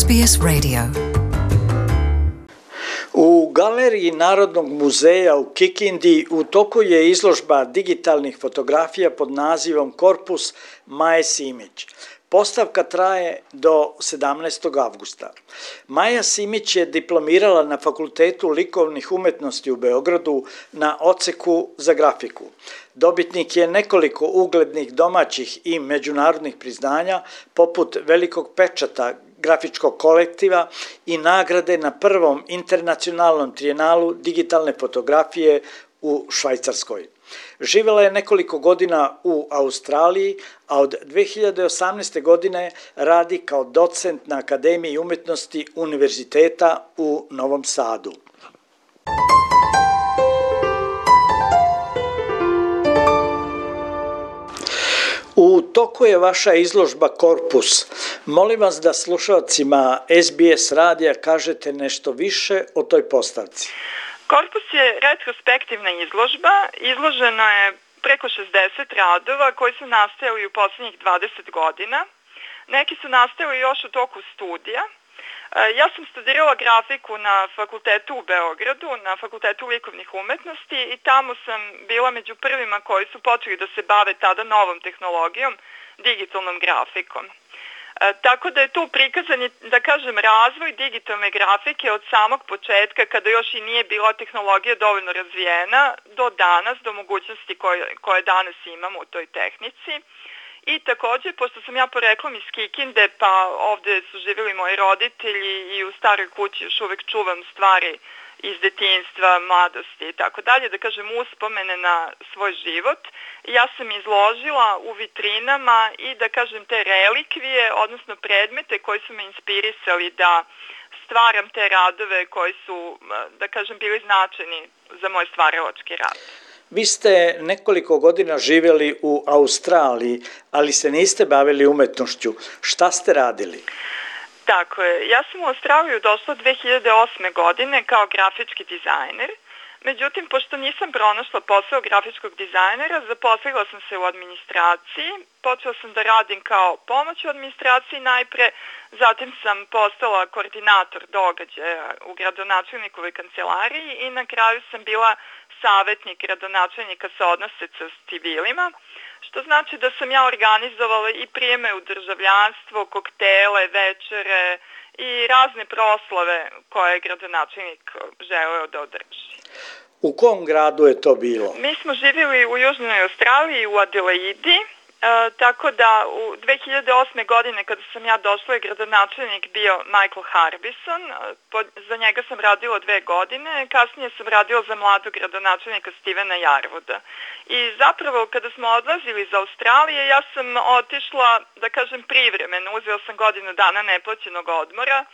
SBS Radio. U Galeriji Narodnog muzeja u Kikindi u toku je izložba digitalnih fotografija pod nazivom Korpus Maje Simić. Postavka traje do 17. avgusta. Maja Simić je diplomirala na Fakultetu likovnih umetnosti u Beogradu na odseku za grafiku. Dobitnik je nekoliko uglednih domaćih i međunarodnih priznanja, poput Velikog pečata grafičkog kolektiva i nagrade na prvom internacionalnom trijenalu digitalne fotografije u Švajcarskoj. Živjela je nekoliko godina u Australiji, a od 2018. godine radi kao docent na Akademiji umetnosti Univerziteta u Novom Sadu. U toku je vaša izložba Korpus. Molim vas da slušalcima SBS radija kažete nešto više o toj postavci. Korpus je retrospektivna izložba. Izloženo je preko 60 radova koji su nastajali u posljednjih 20 godina. Neki su nastajali još u toku studija. Ja sam studirala grafiku na fakultetu u Beogradu, na Fakultetu likovnih umetnosti i tamo sam bila među prvima koji su počeli da se bave tada novom tehnologijom, digitalnom grafikom. Tako da je tu prikazan, da kažem, razvoj digitalne grafike od samog početka, kada još i nije bila tehnologija dovoljno razvijena, do danas, do mogućnosti koje danas imamo u toj tehnici. I također, pošto sam ja poreklom iz Kikinde, pa ovdje su živjeli moji roditelji i u staroj kući još uvijek čuvam stvari iz detinjstva, mladosti i tako dalje, da kažem uspomene na svoj život. Ja sam izložila u vitrinama i da kažem te relikvije, odnosno predmete koji su me inspirisali da stvaram te radove koji su, da kažem, bili značajni za moj stvaralački rad. Vi ste nekoliko godina živjeli u Australiji, ali se niste bavili umetnošću. Šta ste radili? Tako je. Ja sam u Australiju došla 2008. godine kao grafički dizajner. Međutim, pošto nisam pronašla posao grafičkog dizajnera, zaposlila sam se u administraciji. Počela sam da radim kao pomoć u administraciji najpre, zatim sam postala koordinator događaja u gradonačelnikovoj kancelariji i na kraju sam bila savjetnik gradonačelnika sa odnose sa civilima, što znači da sam ja organizovala i prijeme u državljanstvo, koktele, večere i razne proslave koje je gradonačelnik želeo da održi. U kom gradu je to bilo? Mi smo živjeli u Južnoj Australiji, u Adelaidi, tako da u 2008. godine kada sam ja došla je gradonačelnik bio Michael Harbison, za njega sam radila 2 godine, kasnije sam radila za mladog gradonačelnika Stevena Yarwooda. I zapravo kada smo odlazili iz Australije ja sam otišla, da kažem, privremeno, uzela sam godinu dana neplaćenog odmora,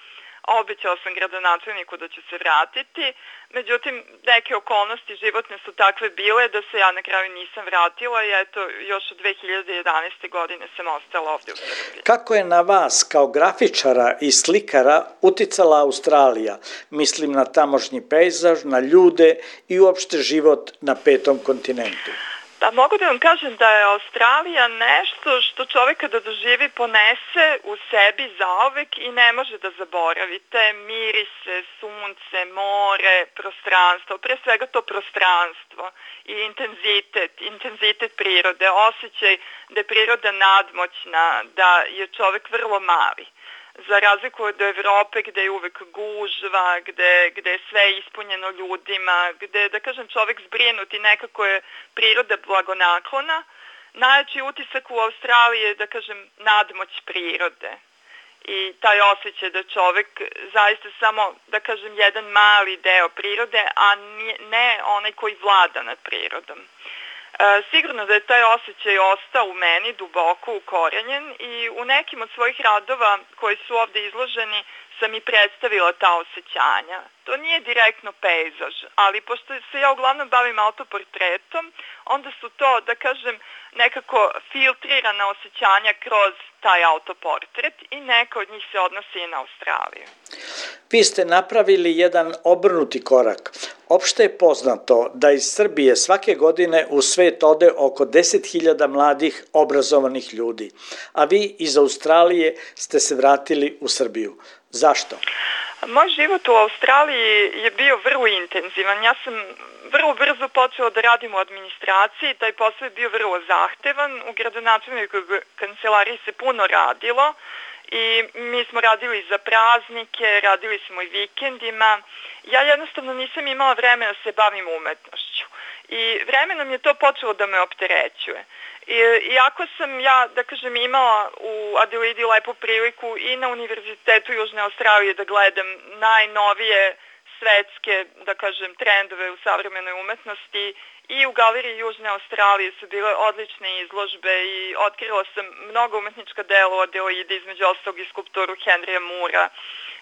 obećala sam gradonačelniku da ću se vratiti, međutim neke okolnosti životne su takve bile da se ja na kraju nisam vratila i eto još od 2011. godine sam ostala ovdje u Srbiji. Kako je na vas kao grafičara i slikara uticala Australija? Mislim na tamošnji pejzaž, na ljude i uopšte život na 5. kontinentu. Pa mogu da vam kažem da je Australija nešto što čovjek kada doživi ponese u sebi zauvek i ne može da zaboravi. Te mirise, sunce, more, prostranstvo, pre svega to prostranstvo i intenzitet prirode, osjećaj da je priroda nadmoćna, da je čovjek vrlo mali. Za razliku od Evrope gdje je uvek gužva, gdje je sve ispunjeno ljudima, gdje, da kažem, čovjek zbrinut i nekako je priroda blagonaklona, najjači utisak u Australiji je, da kažem, nadmoć prirode. I taj osjećaj da čovjek zaista samo, da kažem, jedan mali deo prirode, a ne onaj koji vlada nad prirodom. Sigurno da je taj osjećaj ostao u meni duboko ukorenjen i u nekim od svojih radova koji su ovdje izloženi sam i predstavila ta osjećanja. To nije direktno pejzaž, ali pošto se ja uglavnom bavim autoportretom, onda su to, da kažem, nekako filtrirana osjećanja kroz taj autoportret i neka od njih se odnosi i na Australiju. Vi ste napravili jedan obrnuti korak. Opšte je poznato da iz Srbije svake godine u svet ode oko 10.000 mladih obrazovanih ljudi, a vi iz Australije ste se vratili u Srbiju. Zašto? Moj život u Australiji je bio vrlo intenzivan. Ja sam vrlo brzo počela da radim u administraciji, taj posao je bio vrlo zahtevan. U gradonačelnikovoj kancelariji se puno radilo i mi smo radili za praznike, radili smo i vikendima. Ja jednostavno nisam imala vremena da se bavim umetnošću i vremenom je to počelo da me opterećuje. Iako sam ja, da kažem, imala u Adelaidi lepu priliku i na Univerzitetu Južne Australije da gledam najnovije svetske, da kažem, trendove u savremenoj umetnosti, i u Galeriji Južne Australije su bile odlične izložbe i otkrila sam mnogo umetnička dela u Adelaidi, između ostalog i skulpturu Henrya Moora.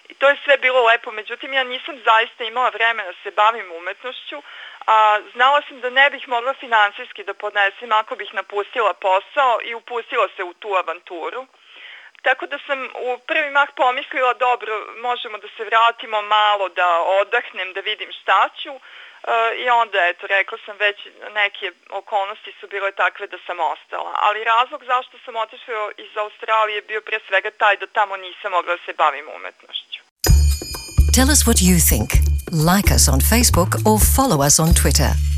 I to je sve bilo lepo, međutim ja nisam zaista imala vremena da se bavim umetnošću, a znala sam da ne bih mogla finansijski da podnesem ako bih napustila posao i upustila se u tu avanturu. Tako da sam u prvi mah pomislila, dobro, možemo da se vratimo malo, da odahnem, da vidim šta ću. I onda, eto, rekla sam već, neke okolnosti su bile takve da sam ostala. Ali razlog zašto sam otišla iz Australije je bio pre svega taj da tamo nisam mogla da se bavim umetnošću. Tell us what you think. Like us on Facebook or follow us on Twitter.